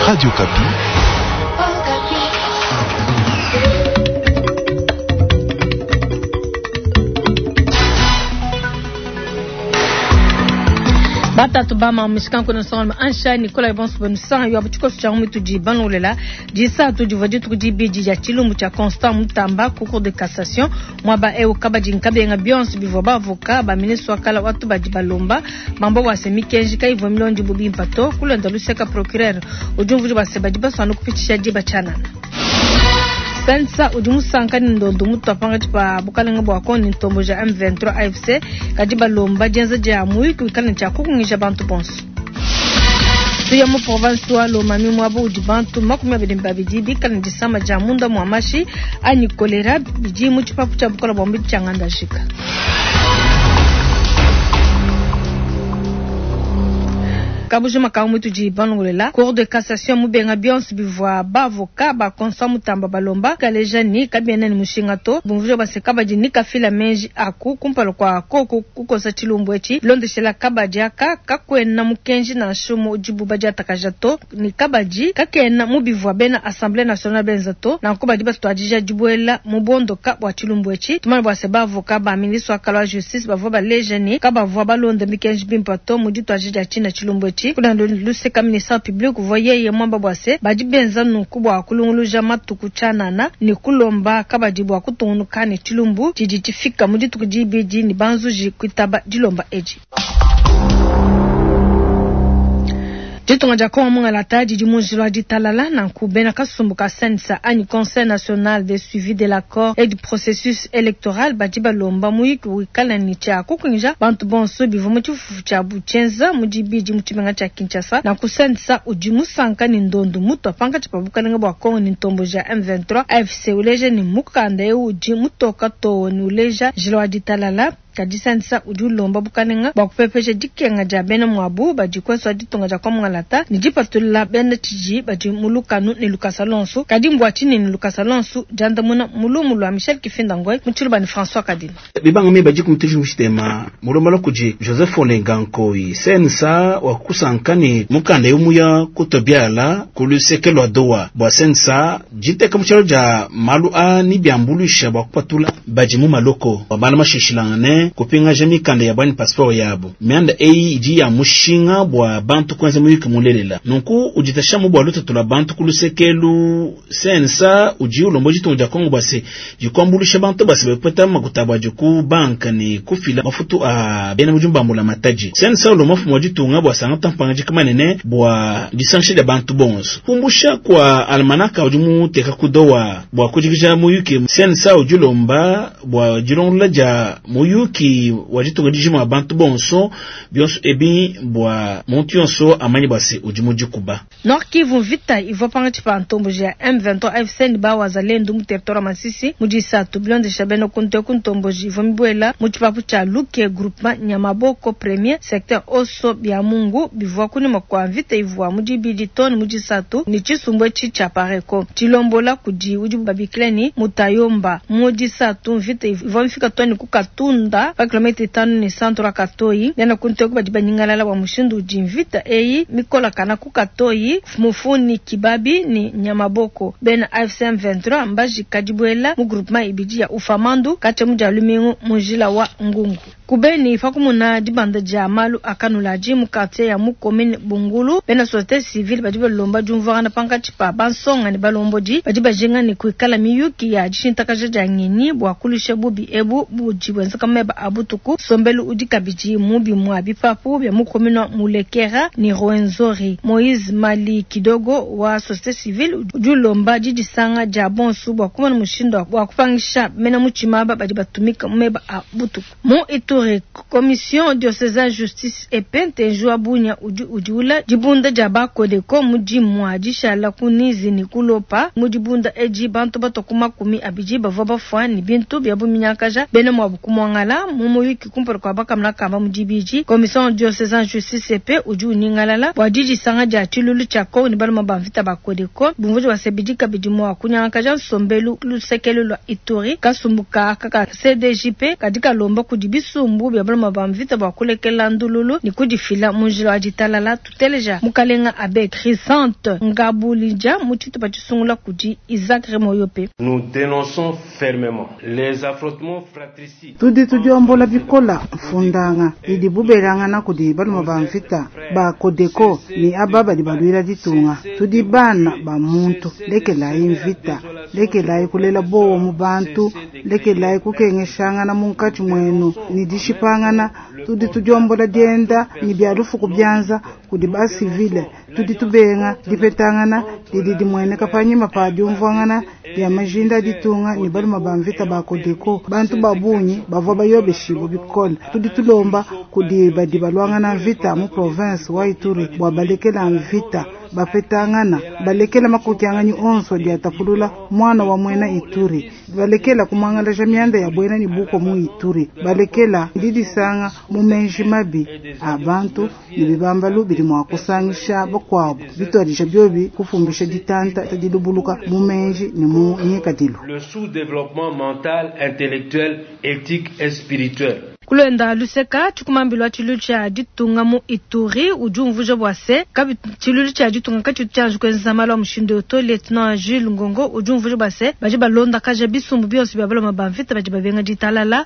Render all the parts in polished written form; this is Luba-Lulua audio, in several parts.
Radio Okapi. Batatu ba mishikanku nsongalume ansha Nicolas bonso benu yo tshikoso tshia mutudi banlolela disatu divua dituku dibidi dia tshilumbu tshia Constant Mutamba ku cour de cassation muaba eu kabadi nkabenga bionso bivua bavoka ba ministre wa kala watu badi balomba bamba bua se mikenji kayivua milondi bu bimpa to kulonda luseka procureur udi umvuija bua se badi basua kupitshisha diba tshianana. Sensa udi musanka ne ndondo mutua pangatshi pa bukalenge bua Kongo ne ntombo ja M23 AFC kadi balomba dienza dia muyuki wikale ne tshia kukungisha bantu bonso. Tuya mu province wa Lomami muaba udi bantu 22 bikale ne disama dia munda mua mashi anyi kolera bidi mu tshipapu tshia bukola bua mubidi tshia Ngandajika. Kabujima ka mutudi balongolela cour de cassation mubenga bionso bivua bavoka ba Constant Mutamba balomba kaleja ni kabiena ni mushinga to bumvuja base kabadi ni kafila menji aku kumpala kwa koko kukosa tshilumbu etshi londeshela kabadi aka kakwena mukenji nansha umue udibu badiatakaja to ni kabadi kakena mubivua bena assemblée nationale benza to nanku badi batuadija dibuela mu bondoka bua tshilumbu etshi tumana bua se bavoka ba ministre wa kala wa justice bavua baleja ni kabavua balonda mikenji bimpa to mu dituadija dia tshina tshilumbu etshi kuna luseka ministère public uvua yeye mwamba bua se badi benza nunku bua kulunguluja matuku tshianana ni kulomba kabadi bua kutungunuka ne tshilumbu tshidi tshifika mu dituku dibidi ni banzuji kuitaba dilomba edi. Ditunga dia Kongo mungalata didi mu njila wa ditalala nanku bena kasumbu ka CNSA anyi Conseil national de suivi de l'accord et du processus électoral badi balomba muyuki wikale ne tshia kukungisha bantu bonso bivua mu tshifufu tshiabu tshienza mu dibidi mu tshimenga tshia Kinshasa. Nanku CNSA udi musanka ne ndondo mutua pankatshi pa bukalenge bua Kongo ne ntombo ja M23 AFC uleja ne mukanda eu udi mutoka too ne uleja njila wa ditalala. Kadi CNSA udi ulomba bukalenga bua kupepesha dikenga dia bena muabu badi kuenso wa ditunga dia Kongo ne dipatulula bena tshiji badi mu lukanu ne lukasa lonso. Kadi mbua tshinyi ne lukasa lonso diandamuna mulumu lua Michel Kifinda Ngoy mu tshiluba ne François Kadima. Bibanga mi badi kumutuji mushitema mulomba kudi Joseph Olenga Nkoyi CNSA wa kusanka ne mukanda yomuya kutobiala ku luseke lua doa bua CNSA jiteka mu tshialo dia malu a ni biambulusha bua kupatula badi mu maloko bana mashishilangane kupingaja mikanda ya bwani passeport yabo mianda eyi idi ya mushinga bua bantu kwenza muyuki mulelela nunku uditasha mu bua lutatu lua bantu ku lusekelu CNSA udi ulomba ditunga dia Kongo bua se dikuambulusha bantu base bapeta makuta bua ku banka ne kufila mafutu a bena mudimu ba mbula matadi. CNSA ulomba mfumu wa ditunga bua sanga tampanga manene bua disankisha dia bantu bonso kumbusha kwa almanaka udi muteka kudowa bua kujikija muyuki CNSA udi ulomba bua dilongolola dia muyuki wa ditunga dijima bantu bonso bionso ebi bua muntu yonso amanyi bua se udi mudikuba. Nord Kivu vita ivua pangatshi pa ntombo ja M23 AFC ne ba wazalendo mu territoire wa Masisi mu disatu bilondesha bena kunte ku ntombo ivua mibuela mu tshipapu tshia Luke groupement Nyamaboko premier secteur Oso bia Mungu bivua kunyima kua mvita ivua mu dibidi tone mu disatu ne tshisumbu etshi tshia Pareko tshilombola kudi udi babikila ni Mutayomba mu disatu mvita ivua mifika tone ku Katunda pa kilomita 5 ne centre wa Katoyi bena kunte ku badi banyingalala bua mushindu udi mvita eyi mikolakana ku Katoyi Mufuni Kibabi ni Nyamaboko bena AFC M23 mbaji kadibuela mu groupement ibidi ya Ufamandu kacha mu dia lumingu mu njila wa Ngungu. Kubeni pakumuna dibanda dia malu akanulaji mu quartier ya mu commune Bungulu bena société civile badi balomba diumvuangana pankatshi pa bansonga ne balombodi badi bajinga ne kuikala miyuki ya dishintakaja dia ngenyi bua kulusha bubi ebu budi bwenzeka meba a butuku sombelu udi kabidi mubi mwa bipapu bya mu commune Mulekera ni Rwenzori. Moïse Mali Kidogo wa société civile udi ulomba didisanga dia bonsu bua kumona mushindu wa kupangisha mena mutshima badi batumika meba a butuku. Mu Ituri commission diocésaine justice et paix ntenjua bunya udi udiula dibunda dia bakodeko mudi mwa dishala kunizi ni kulopa mu dibunda edi bantu batoku 20 bavua bafua ni bintu bya buminyakaja bena mwa bukumwangala mu muyuki kumpala kwa bakamuna kamba mu dibidi. Commission diocésaine justice et paix udi uningalala bua didisanga dia tshilulu tshia Kongo ni baluma ba mvita bakodeko bumvuji basebidi kabidi mwa kunyangakaja nsombelu lusekelo lwa Ituri kasumbuka kaka CDJP kadi kalomba kudi bisumbu bisumbu bia baluma ba mvita bua kulekela ndululu ne kudifila mu njila wa ditalala. Tuteleja mukalenga Abe Chrysanthe Ngabulija mu tshitupa tshisungula kudi Isaac Remoyope. Nous denonçons fermement les affrontements fratricides. Tudi tudiombola bikola mfundanga idibu belangana kudi baluma ba mvita ba Codeco ne aba badi baluila ditunga. Tudi bana ba muntu, lekelayi mvita, lekelayi kulela bowa mu bantu, lekelayi kukengeshangana munkatshi muenu ne dishipangana. Tudi tudiombola dienda ne bia lufu ku bianza kudi ba civile. Tudi tubenga dipetangana didi dimueneka panyima pa diumvuangana dia majinda a ditunga ne baluma ba mvita ba Codeco. Bantu ba bungi bavua bayobeshibue bikole. Tudi tulomba kudi badi baluangana mvita mu province wa Ituri bua balekela mvita, bapetangana, balekela makokianganyi onso adi atapulula mwana wa muena Ituri, balekela kumwangalaja mianda ya buena ne buko mu Ituri, balekela didisanga mu menji mabi a bantu ne bibambalu bidi mua kusangisha bakuabu bituadija biobi kufumbisha ditanta dilubuluka mu menji ne mu ngikadilu. Le sous-développement mental, intellectuel, éthique et spirituel. Ku luenda luseka, tshikumambilu wa tshiluilu tshia ditunga mu Ituri udi umvuija bua se kabi tshiluilu tshia ditunga katshitu tshianji kuenza malu a mushindu eu to. Lieutenant Jules Ngongo udi umvuija bua se badi balondakaja bisumbu bionso bia baloma ba mvita badi babenga ditalala.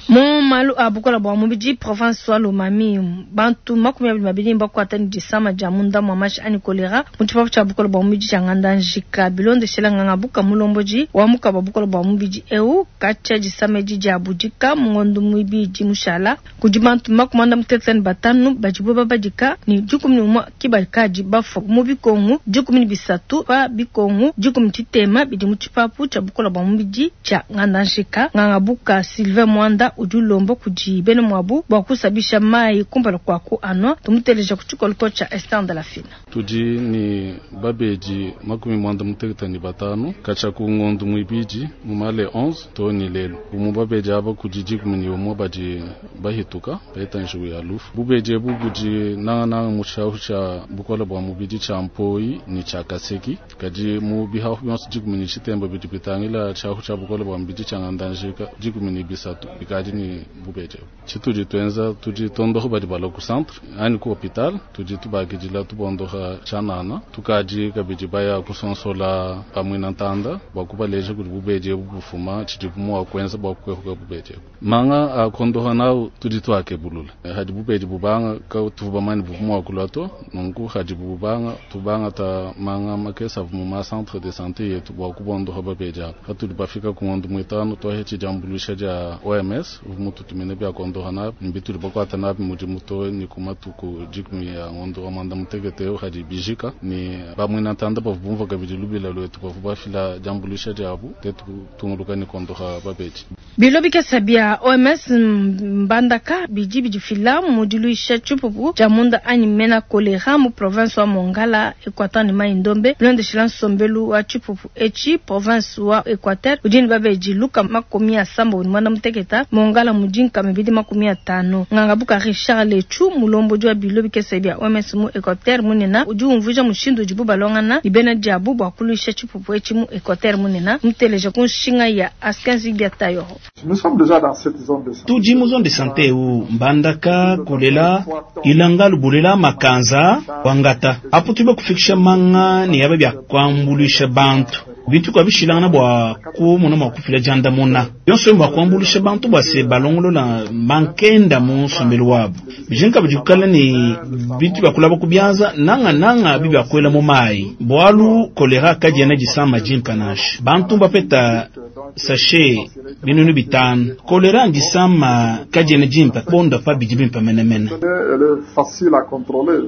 Mu malu a bukola bua mubidi, province wa Lomami, bantu 22 mbakuata ne disama dia munda mua mashi anyi choléra mu tshipapu tshia bukola bua mubidi tshia Ngandajika. Bilondeshela nganga buka mulombodi wa mukaba bukola bua mubidi eu, katshia disama edi dia budika mu ngondo muibidi mushala, kudi bantu 95 badibo babadika ne 11 ki bakadi bafua mu bikongu 13 pa bikongu 13 bidi mu tshipapu tshia bukola bua mubidi tshia Ngandajika. Nganga buka Sylvain Mwanda udi ulomba kudi bena muabu bua kusabisha mai kumpala kua ku anwa. Tumuteleja ku tshikoloko tshia Esther de la Fina. Tudi ni babedi 95 katshia ku ngondo muibidi mu male 11 to ni lelu. Mu babedi aba kudi 11 badi bahituka bahita njiwu ya lufu. Bubedi ebu budi nangananga mu tshiahu tshia bukola bua mubidi tshia Mpoi ne tshia Kaseki, kadi mu bihahu bionso 13 bidi bitangila tshiahu tshia bukola bua mubidi tshia Ngandajika, 13 bikadi ni bubedi ebu. Tshitudi tuenza, tudi tondoho badi balua ku centre anyi ku hôpital, tudi tubakidila tubondoha tshianana. Tukadi kabidi baya kusonsola pamue na ntanda bua kubaleja kudi bubedi ebu bufuma, tshidibu mua kuenza bua kuepuka bubedi ebu. Manga a kondoha nawu tudi tuakebulula hadi bubedi bubanga ka tuvu bamani buvu mua kulua to. Nunku hadi bubanga tubanga ta manga makesa mu ma centre de santé yetu bua kubondoha babedi aba. Hatudi bafika ku ngondo muitanu twahetshe diambuluisha dia OMS uvu mututumine bia kondoha nabi mbitudi bakuata nabi mudimu to ni ku matuku 10 ya ngondo wa mwanda mutekete eu hadi bijika ni bamwina ntanda bavu bumva kabidi lubila lwetu bavu bafila diambuluisha diabu tetu tunguluka ni kondoha babedi. Bilo bikesa bia OMS Mbandaka bidi bidifila mu diluisha tshipupu tshia munda anyi mena choléra mu province wa Mongala, Equateur ne Mai Ndombe. Bilondeshila nsombelu wa tshipupu etshi, province wa Equateur udi ne babedi 796, Mongala mudi 250. Nganga buka Richard Lechu, mulombodi wa bilo bikesa bia OMS mu Equateur munena, udi umvuija mushindu udibu balongana ne bena diabu bua kuluisha tshipupu etshi mu Equateur munena. Muteleja ku nshinga ya Askenzi Biatayoro. Nous sommes déjà dans cette zone de santé. Tudi mu zone de santé eu Mbandaka, Kolela, Ilanga, Lubulela, Makanza, Wangata. Apo tuba kufikisha manga ne yaba bia kuambuluisha bantu. Bintu kwa bishilangana bua kumona mua kufila diandamuna. Yonso bua kuambuluisha bantu bua se balongolola mankenda mu nsombelu wabu. Bijinka bidi kukala ne bintu bia kulaba ku bianza nanga nanga bi bia kuela mu mai. Bualu kolera kadiena disama dimpa nansha. Bantu bapeta sachet 500. Kolera ndisama kadiena dimpa bonda pa bidi bimpa menemene. Elle est facile à contrôler.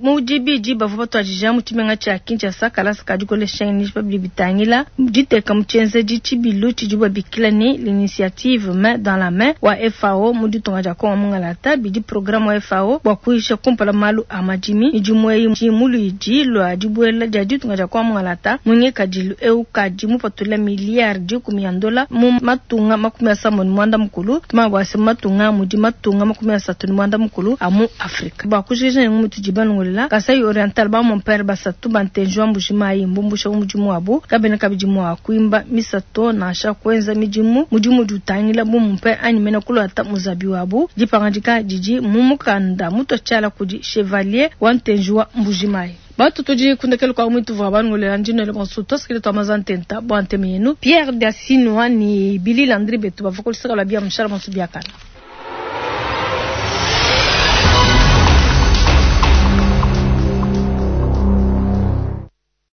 Mu dibidi bavua batuadija mu tshimenga tshia Kinshasa kalasa ka dikolesha pa bidi bitangila diteka mu tshienzedi tshibilu tshidibu babikila ne l'initiative Main dans la Main wa FAO mu ditunga dia Kongo mungalata. Bidi programme wa FAO bua kuyisha kumpala malu a madimi. Midimu eyi mu luidi lua dibuela dia ditunga dia Kongo mungalata mu ngikadilu eu kadi mupatula miliyari 10 ya ndola mu matunga 79. Tumanya bua se mu matunga mudi matunga 39 a mu Afrika. Bua kujikija ne mutudi balongolole. banungulela. Kasai Oriental, ba mon-pere basatu ba ntenji wa Mbuji Mayi mbumbusha mu mudimu wabu. Kabena kabidi mua kuimba misa to, nansha kuenza midimu mudimu udi utangila bu mon-pere anyi mena kuluata muzabi wabu. Dipangadika didi mu mukanda mutua tshiala kudi Chevalier wa ntenji wa Mbuji Mayi. Batu tudi ku ndekelu kua muitu vua banungulela ndi nuele bonso tuasakidila tua maza ntenta bua ntema yenu. Pierre Diasinua ne Billy Landry betu bavua ku luseke lua bia mushala bonso biakana.